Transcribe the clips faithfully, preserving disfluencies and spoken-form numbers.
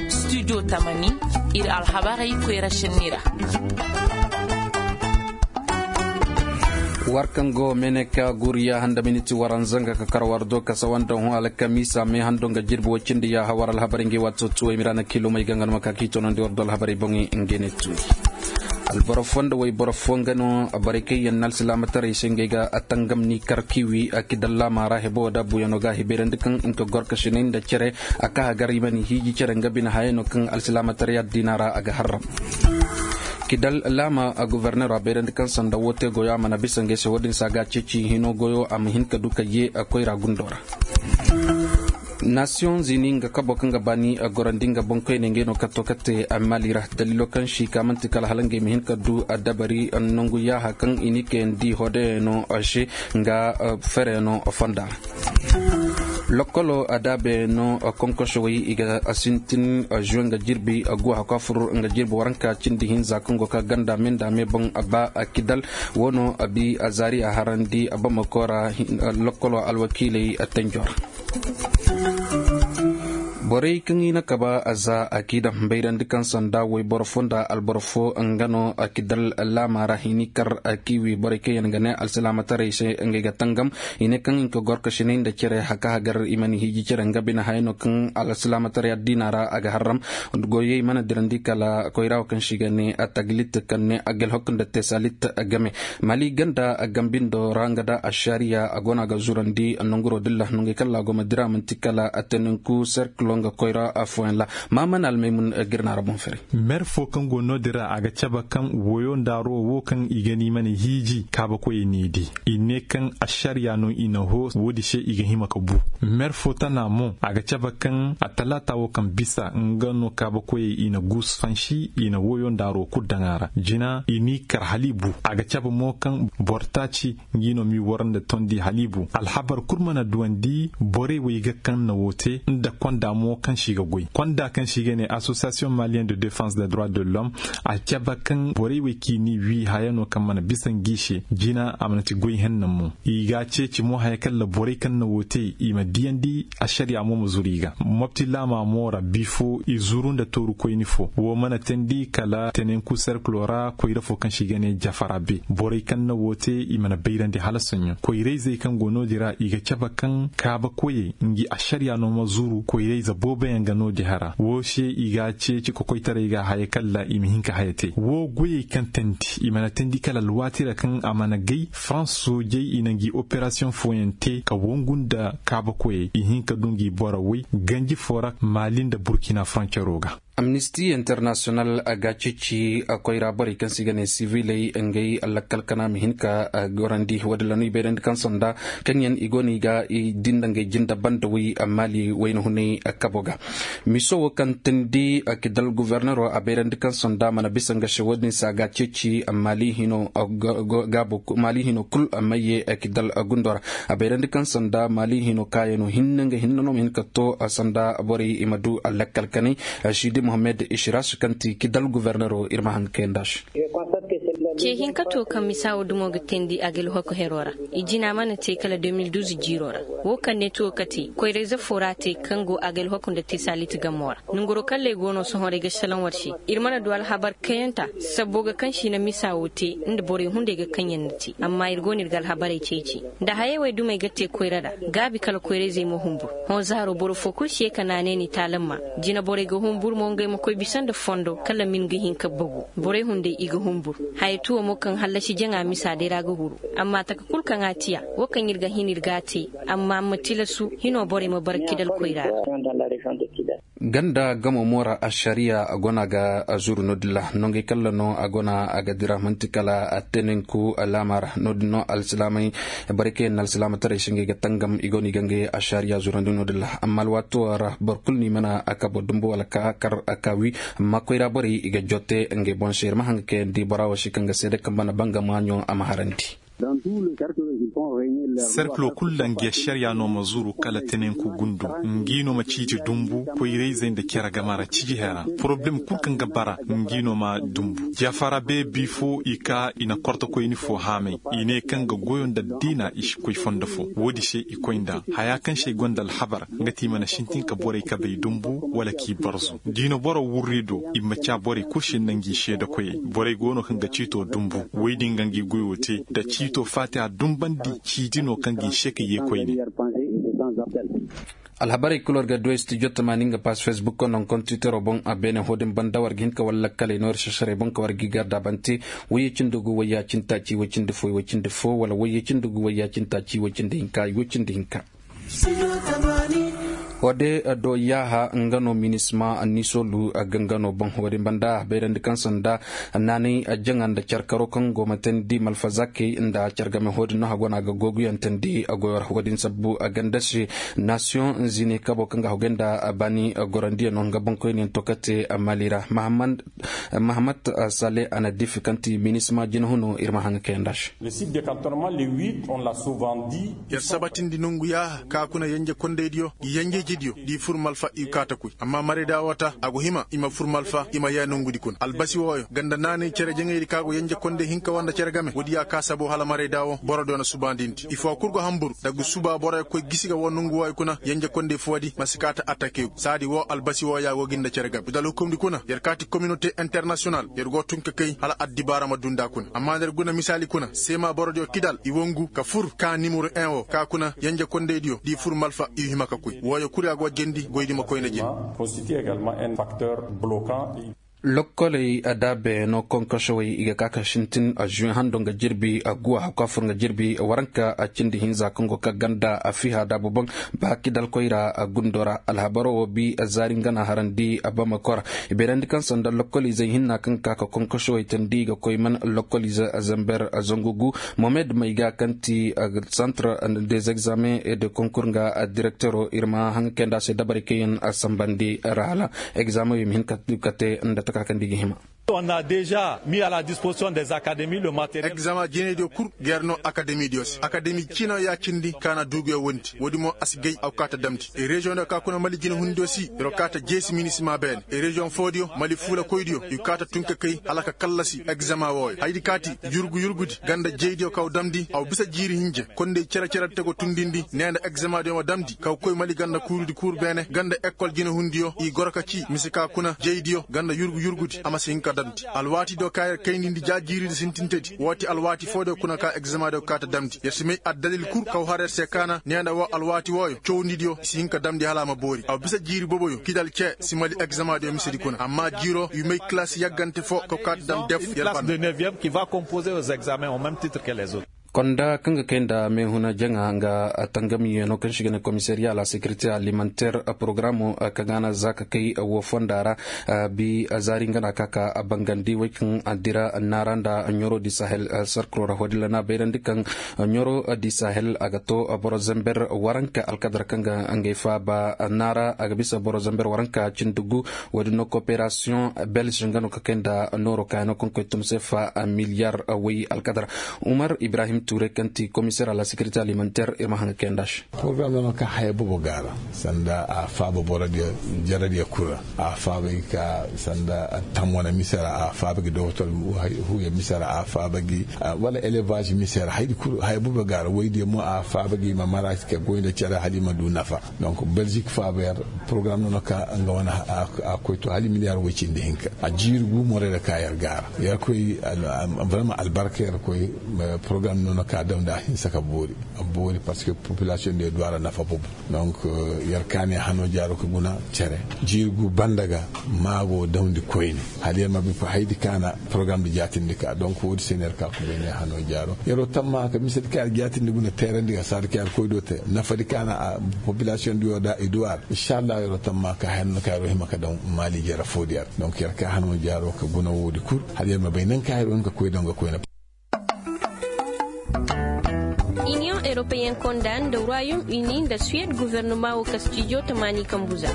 Studio tamani, ir alhabarey koyra sennira. War kaŋ go meeneka guriya handa miniti waranza nga ka kar war do kasa wanda hõ alkamiisa mee hando nga jirbi woy cindi yaaha war alhabarey ngi waati tuwey miraana kiilomey ga nga no ma ka k'i toonandi war do alhabarey boŋey nge ne tuuri. Alboro fo nda woy boro fo nga no borey kaŋ yaŋ na alsilaamataray se ngey ga tangam ni kar kiwi a kidal laama ra hebo da buyanoo ga hibayrandi kaŋ nka gorkasinay nda cere a ka hagar i ma ni hiiji cere nga bine hayey no kaŋ alsilaamataray addiina ra a ga harram. Kidal laama a gofornero a bayrandi kaŋ sanda woo te goyo a mana bisa ngey se wo-din se a ga a ceeci hino goyo a ma hin ka du ka yee koyra gundo ra. Nasiyoŋ zini nga kabo kaŋ ga baani a gorandi nga boŋkoyney ngey no kaŋ to ka te a maali ra daliilo kaŋ si ka man'ti kala hala ngey ma hin ka du a dabari nangu yaaha kaŋ i ni kayandi hodayano se nga fereyaŋo fonda ra. Lokolo a daabeyaŋo konkosowey i ga sintin zuwe nga jirbi guwa hakwa fur nga jirbi waranka cindi hinza kaŋ go ka ganda me nda me boŋ ba a kidal woo no a bi a zaari a harandi a bamako ra. Lokolo alwakiiley tanjo ra. Borey kaŋ i na kaba a za a k'i daŋ bayrandi kaŋ sanda woy boro fo nda alboro fo nga no a kidal laama ra i n'i kar a k'i wi borey kaŋ yaŋ ga ne alsilaamataray se ngey ga tangam. I ne kaŋ i nka gorkasinay nda cere haka hagar i mana hiiji cere nga bine hayey no kaŋ alsilaamataray addiina ra a ga harram. Goyey mana dirandi kala koyra wo kaŋ se i ga ne a taglit kaŋ ne a ga alhok nda tesalit game. Mali ganda gambindo ra nga da ašariya a go no a ga zurandi nonguro dilla nongey kaŋ ra a go ma dira man'ti kala a teninku serkilo nga koyra afooyaŋ ra. Maamana almaymun ga ir na ra boŋ fere. Mer fo kaŋ go no-din ra a ga cabe kaŋ woyo nda aro wo kaŋ i ga ni mana hiiji kaabakoyey n'i di i ne kaŋ ašariya no i na hoo wo-din se i ga hima ka bu. Mer fo tana mo a ga cabe kaŋ a talaata wo kaŋ bisa nga no kaabakoyey i na guus fansi i na woyo nda aro kul daŋ a ra jina i n'i kar hala i bu a ga cabe mo kaŋ boro taaci ngi no m'i war nda tondi haliibu alhabar kul mana duwandi borey wey ga kaŋ na woo te nda konda mo kaŋ se i ga goy konda kaŋ se i ga ne association malien de défense de droit de l'homme. A cabe kaŋ borey wey k'i ni wii haya no kaŋ mana bisa ngi se jina a mana ti goy henna mo i ga a ceeci mo haya kaŋ ra borey kaŋ na woo te i ma diyandi ašariya mo ma zuru i ga mopti laama mo ra bi fo i zuru nda tooru koyni fo woo mana teendi kala tenenku serkilo ra koyra fo kaŋ se i ga ne jafara be borey kaŋ na woo te i mana bayrandi hala soɲõ koyrayzey kaŋ go no-din ra i ga cabe kaŋ kaabakoyey ngi ašariya no ma zuru koyrayze booboyaŋ ga no-din hara woo se i ga a ceeci kokoytaray ga haya kaŋ ra i ma hin ka haya te woo goyey kaŋ teendi i mana teendi kala alwaati ra kaŋ a mana gay farans soojey i na ngi operasiyoŋ fooyaŋ te ka wangu nda kaabakoyey i hin ka du ngi boro woy ganji foo ra maali nda burkina foroncero ga. Amnisti internasiyonal a ga a ceeci koyra borey kaŋ se i ga ne siviley ngey lakkal kana ma hin ka gorandi woodin ra no i bayrandi kaŋ sanda kaŋ yaŋ i go no i ga i dinda ngey jinda banda way maali wayna hunay kabo ga. Miso wo kaŋ teendi kidal gofornero a bayrandi kaŋ sanda mana bisa nga se woodin se a ga a ceeci maali hino kul mayye kidal gundo ra. A bayrandi kaŋ sanda maali hino kaayano hinne nga hinne no ma hin ka to sanda borey i ma du lakkal kanay. Sidi mohammed ishiras kaŋ ti kidal gofornero ir ma haŋ kayanda se. Ce hinka to kaŋ misa wo dumo ga teendi a ga alhoko hero ra. I jina mana te kala deux mille douze jiiro ra. Wo kaŋ ne tuwo kate koyrayze fo ra te kaŋ go a ga alhoko nda tesalit gamo ra. Nanguro kaŋ ley go no sohõ ra i ga salaŋ war se. Ir mana du alhabar kayanta sabbo ga kaŋ se i na misa wo te nda borey hunday ga kaŋ yaŋ na te amma ir go no ir ga alhabarey ceeci. Nda hayey wey dumey ga te koyra ra gaabi kala koyrayzey ma humbur. Hõ zaaro boro fo kul si ye ka naanay ni taalamma. Jinaborey ga humbur mo ngey ma koy bisa nda fondo kala min ga hin ka bagu. Borey hunday i ga humbur. Haya tuwo mo kaŋ hallasi jaŋa misa day ra ga huru. Amma taka kul kaŋ a tiya wo kaŋ ir ga hin ir ga a te. Amma a ma tilasu hino borey ma bara kidal koyra ra. Ganda gamo mo ra ašariya a go no a ga zuru no-din ra nongey kalla no a go no a ga dira man'ti kala a teninku laama ra no-din no alsilaamey. Borey kaŋ yaŋ na alsilaamataray se ngey ga tangam i go no i ga ngey ašariya zurandi no-din ra amma alwaato ra boro kulu no i mana a kabo dumbu wala ka kar a ka wi. Amma koyra borey i ga jotte ngey boŋ se ir ma haŋ ga kayandi bora wo se kaŋ ga seede kaŋ mana banga maaɲo a ma harandi. Serkiloo kul nda ngi ašariyaa no ma zuru kala tenenku gundu. Ngi no ma ciiti dunbu koyrayzey nda cere game ra ciiji hera. Poroblem kul kaŋ ga bara ngi no ma dunbu. Jafara beebi fo i ka i na kortokoyni fo haamay. I ne kaŋ ga goyo nda diina i si koy fondo fo. Woodi se i koy nda haya kaŋ se ay gonda alhabar, nga ti i mana sintin ka borey kabey dunbu wala k'i barzu. Diina boro wurri do i ma ca borey kul se nda ngi seedakoyey. Borey go no kaŋ ga ciito dunbu. Woy din ga ngi goyo te nda ciito faati a dunbandi. Ciidi no kaŋ ga i se ka yee koyne. Alhabarey kul war ga du studio tamaani nga pass facebook no nkontitero boŋ a beene hodin banda war ga hin ka walla kaley no ir sasarey boŋ ka war ga i garda bante. Wayye cindi gu wayya cindi taaci way cindi fo way cindi fo wala wayye cindi gu wayya cindi taaci way cindi hinka way cindi hinka. Wode do yaaha nga no minisma annisolu a ga nga no boŋ wodin banda bayrandi kaŋ sanda naanay jaŋa nda carkaro kaŋ go ma teendi malfazakey nda cargame hodin no hagona ga googuyaŋ teendi a goyo ra wodin sabbu a ganda se. Nasiyoŋ zine kabo kaŋ ga hagay nda baani gorandiyaŋ no nga boŋkoyniyaŋ to kate mali ra. Mahamad saleh a na difi kaŋ ti minisma jina huno ir ma haŋ ga kayanda se. Yer sabatindi nongu yaaha ka kuna yenje kondaydiyo ngi yenjejidiyo nda i fur malfa i kaata koy amma marayda woo ta a go hima i ma fur malfa i ma yee nongudi kuna albasi wooyo ganda naanay cere jaŋaydi ka go yenje konday hinka woo nda cere game woodi ya ka sabo hala marayda woo borodiyo na subaandindi i foo kul go hanbur daggu suba boroyo koy gisi ga woo nongu wooyo kuna yenje konday foodi ma si kaata attakeegu saadi woo albasi wooyo ya go gi nda cere game i da alhukumndi kuna yer kaati kominote internasiyonal yer go tun ka kay hala addibaara ma duu nda kuna amma nda yer guna misaali kuna seema borodiyo kidal i wongu ka fur kaa nimero en woo ka kuna yenje kondaydiyo nda i fur malfa i hima ka koy wooyo kul ya go jendi goydi ma koyne jendi. Lokkoley daabe no konkosowey i ga ka ka sintin a zuwe hando nga jirbi a guwa hakku a fur nga jirbi waranka a cindi hinza kaŋ go ka ganda a fiha daabu boŋ. Ba kidalkoy ra a gundo ra alhabaro wo bi a zaari nga na harandi a bamako ra. I bayrandi kaŋ sanda lokkol izey hinna kaŋ ka ka konkosowey tandi i ga koy man lokkol ize zamber zangu gu. Mohamed mayga kaŋ ti centre des examens et de concours nga direktero ir ma haŋ kayanda se dabarey kaŋ yaŋ a sambandi ra hala egzaameŋ yo i ma hin ka te nda taka kaŋ da i ga hima. Egzaama jinaydiyo kul ga yer noo akademidiyo se akademi ciinayo ya cindi ka na duuguyo wondi woodi mo a si gay a go kaa ta damndi. Reziyoŋdiyo ka kuna mali jinahundiyo se yer go kaa ta jeesi minisima beene. Reziyoŋ foodiyo mali fuulakoydiyo i go kaa ta tun ka kay hala ka kallasi egzaama wooyo hayadi kaati yurgu yurgudi ganda jeydiyo ka go damndi a go bisa jiiri hinja konday cere-cere te go tundindi nee nda egzaamadiyo ma damndi ka go koy mali ganda kuurudi kuur beene ganda ekkol jinahundiyo i goro ka cii mise ka kuna jeydiyo ganda yurgu yurgudi a ma si hin ka damndi. Alwaatidiyo ka yer kaynindi ja jiiridi sintintedi woo ti alwaati foodiyo kuna ka egzaamadiyo kaa ta damndi yer si may addalil kul ka go har yer se kaana nee nda woo alwaati wooyo cawndidiyo i si hin ka damndi hala a ma boori a bisa jiiri boboyo kidal cee si mali egzaamadiyo misedi kuna amma jiiroo i may kilas yaggante foo ka go kaa ta damndi def yer banda. Konda kaŋ ga kay nda meehuna jaŋa nga tangamiyeeno kaŋ se i ga ne komisariya la sekirite alimanter porogaraamo kaŋ a na za ka kay woo fonda ra. Bi zaari nga na ka ka bangandi wey kaŋ a dira naara nda ɲoro di sahel sarkiro ra hodilla na bayrandi kaŋ ɲoro di sahel a ga to boro zember waranka alkadar kaŋ ga ngey faaba naara a ga bisa boro zember waranka cindi gu. Woodin no kooperasiyoŋ belge nga no ka kay nda nooro kaayano kaŋ koy tun seefa miliyar woy alkadar. Umar ibrahim tuure kaŋ ti komiseer a la sekirite alimanteer ir ma haŋ ga kay nd'a se. Porogaram no no ka haya boobo ga a ra sanda a faaba borodiyo jaradiyo kul ra a faaba gi ka sanda tamwana mise ra a faaba gi doktor huuya mise ra a faaba gi wala elevaz mise ra haya boobo ga a ra woydiyo mo a faaba gi ma mara ka goy nda cere hala i ma du nafa. Donc belgique faaba yer porogaram no no ka nga wane a koy to hala miliyar woy cindi hinka a jiiri gu morey ra ka yer gaara yer koy vraiment albarka yer koy. Porogaram no no ka damndi a hinsa ka boori a boori parce que populasiyoŋ diyo du a ra nafa boobo. Donc yer ka ne hano jaaro ka guna cere jiiri gu banda ga maago damndi koyne hala yer ma bay koy hayadi ka na porogaram di jaatindi ka donc woodi se no yer ka koy ne hano jaaro yer wo tamma ka misedi ka yer jaatindi guna teerandi ga saadi ka yer koy do te nafadi ka na a populasiyoŋ diyo da i du a ra inshallah yer wo tamma ka haya no ka yer wo hima ka daŋ maali jere foodi a ra donc yer ka hano jaaro ka guna woodi kul hala yer ma bay naŋ ka yer wo hin ka koy daŋ ga koyne. Iniyoŋ europeyen konda nda royaume uni nda suwed gofornoma wo ka studio tamaani kambu za.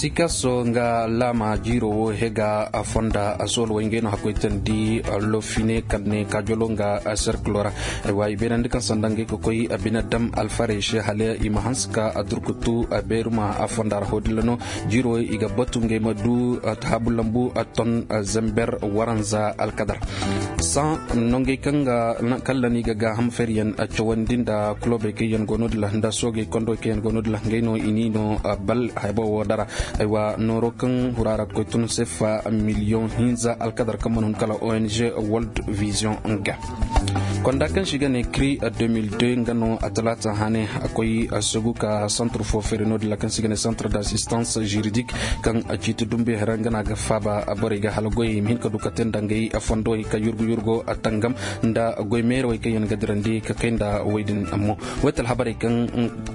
Sikaso nga laama jiiro wo hega fonda a sool way ngey no hakkoytandi lofine kaŋ ne kaajolo nga serkilo ra. Aywa i beenandi kaŋ sanda ngey ka koy bine dam alfarey se hala i ma hanse ka durkutu beeruma fonda ra hodilla no. Jiiro i ga batu ngey ma du haabu lambu ton zember waranza alkadar. Saŋ nongey kaŋ ga kalla ni ga gaaham feriyaŋ cawandi nda kulobey kaŋ yaŋ go no- din ra nda soogey kondowey kaŋ yaŋ go no- din ra ngey no i ni no bal haya boŋ wo dara. Aywa nooro kaŋ hura ra koy tun sefa miliyoŋ hinza alkadar kaŋ mana hun kala ong world vision ga. Konda kaŋ se i ga ne kri deux mille deux nga no a talaata hane a koy a sugu ka santre fo fere no- din ra kaŋ se i ga ne santre d'assistance juridique kaŋ a ciiti dumbe hera nga no a ga faaba borey ga hala goyey i ma hin ka du ka te nda ngey fondowey ka yurgu yurgo a tangam nda goy meerowey kaŋ yaŋ ga dirandi ka kay nda wey din mo. Wey ti alhabarey kaŋ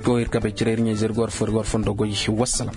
go ir ka bay cire ir ɲey zirgo war fo ir ga war fondo goy. Wassalam.